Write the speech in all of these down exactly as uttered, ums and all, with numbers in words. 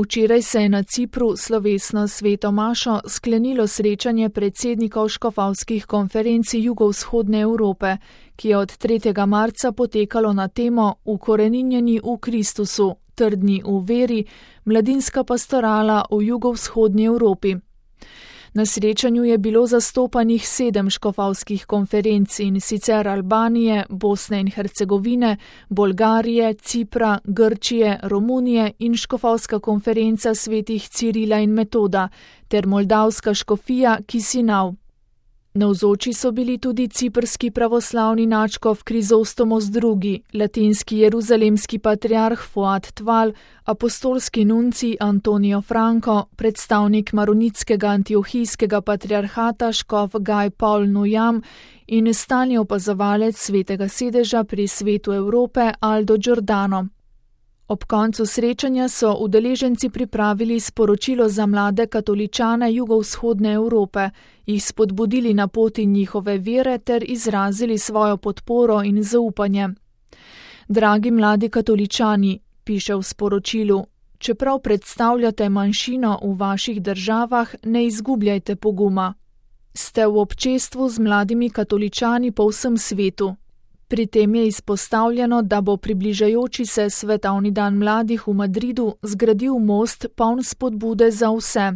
Včeraj se je na Cipru slovesno sveto mašo sklenilo srečanje predsednikov škofovskih konferenc jugovzhodne Evrope, ki je od tretjega marca potekalo na temo Ukoreninjeni v Kristusu, trdni v veri, mladinska pastorala v jugovzhodni Evropi. Na srečanju je bilo zastopanih sedem škofovskih konferenc, in sicer Albanije, Bosne in Hercegovine, Bolgarije, Cipra, Grčije, Romunije in škofovska konferenca svetih Cirila in Metoda ter moldavska škofija Kisinav. Navzoči so bili tudi ciprski pravoslavni nadškof Krizostomos drugi., latinski jeruzalemski patriarh Fuad Tval, apostolski nuncij Antonio Franco, predstavnik maronitskega antiohijskega patriarhata škof Gaj Paul Nujam in stalni opazovalec svetega sedeža pri Svetu Evrope Aldo Giordano. Ob koncu srečanja so udeleženci pripravili sporočilo za mlade katoličane jugovzhodne Evrope, jih spodbudili na poti njihove vere ter izrazili svojo podporo in zaupanje. Dragi mladi katoličani, piše v sporočilu, čeprav predstavljate manjšino v vaših državah, ne izgubljajte poguma. Ste v občestvu z mladimi katoličani po vsem svetu. Pri tem je izpostavljeno, da bo približajoči se svetovni dan mladih v Madridu zgradil most poln spodbude za vse.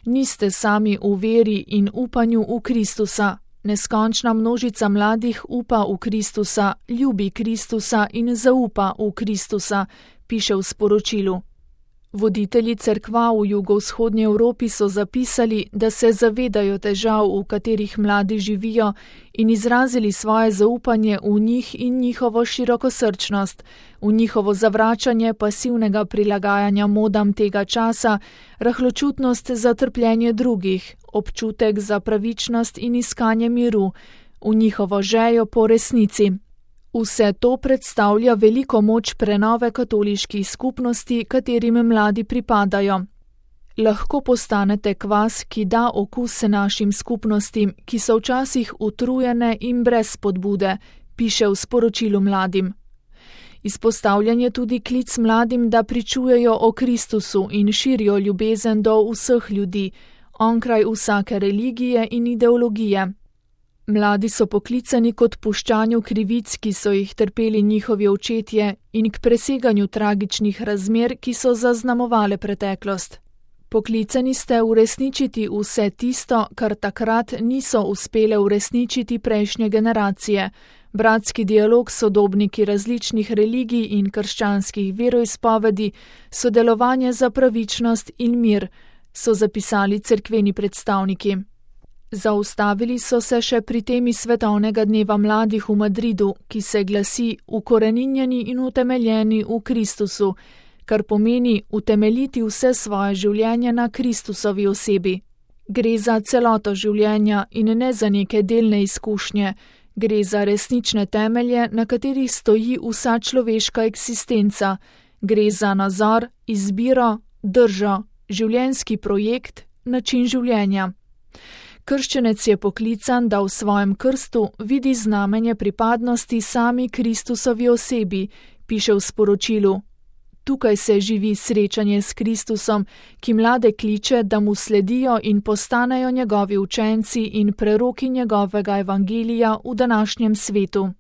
Niste sami v veri in upanju v Kristusa. Neskončna množica mladih upa v Kristusa, ljubi Kristusa in zaupa v Kristusa, piše v sporočilu. Voditelji cerkva v jugovzhodnji Evropi so zapisali, da se zavedajo težav, v katerih mladi živijo, in izrazili svoje zaupanje v njih in njihovo širokosrčnost, v njihovo zavračanje pasivnega prilagajanja modam tega časa, rahločutnost za trpljenje drugih, občutek za pravičnost in iskanje miru, v njihovo željo po resnici. Vse to predstavlja veliko moč prenove katoliških skupnosti, katerim mladi pripadajo. Lahko postanete kvas, ki da okus našim skupnostim, ki so včasih utrujene in brez spodbude, piše v sporočilu mladim. Izpostavljen je tudi klic mladim, da pričujejo o Kristusu in širijo ljubezen do vseh ljudi, onkraj vsake religije in ideologije. Mladi so poklicani k odpuščanju krivic, ki so jih trpeli njihovi očetje, in k preseganju tragičnih razmer, ki so zaznamovale preteklost. Poklicani ste uresničiti vse tisto, kar takrat niso uspele uresničiti prejšnje generacije, bratski dialog s sodobniki različnih religij in krščanskih veroizpovedi, sodelovanje za pravičnost in mir, so zapisali cerkveni predstavniki. Zaustavili so se še pri temi svetovnega dneva mladih v Madridu, ki se glasi Ukoreninjeni in utemeljeni v Kristusu, kar pomeni utemeljiti vse svoje življenje na Kristusovi osebi. Gre za celoto življenja in ne za neke delne izkušnje, gre za resnične temelje, na katerih stoji vsa človeška eksistenca, gre za nazor, izbiro, držo, življenjski projekt, način življenja. Krščenec je poklican, da v svojem krstu vidi znamenje pripadnosti sami Kristusovi osebi, piše v sporočilu. Tukaj se živi srečanje s Kristusom, ki mlade kliče, da mu sledijo in postanejo njegovi učenci in preroki njegovega evangelija v današnjem svetu.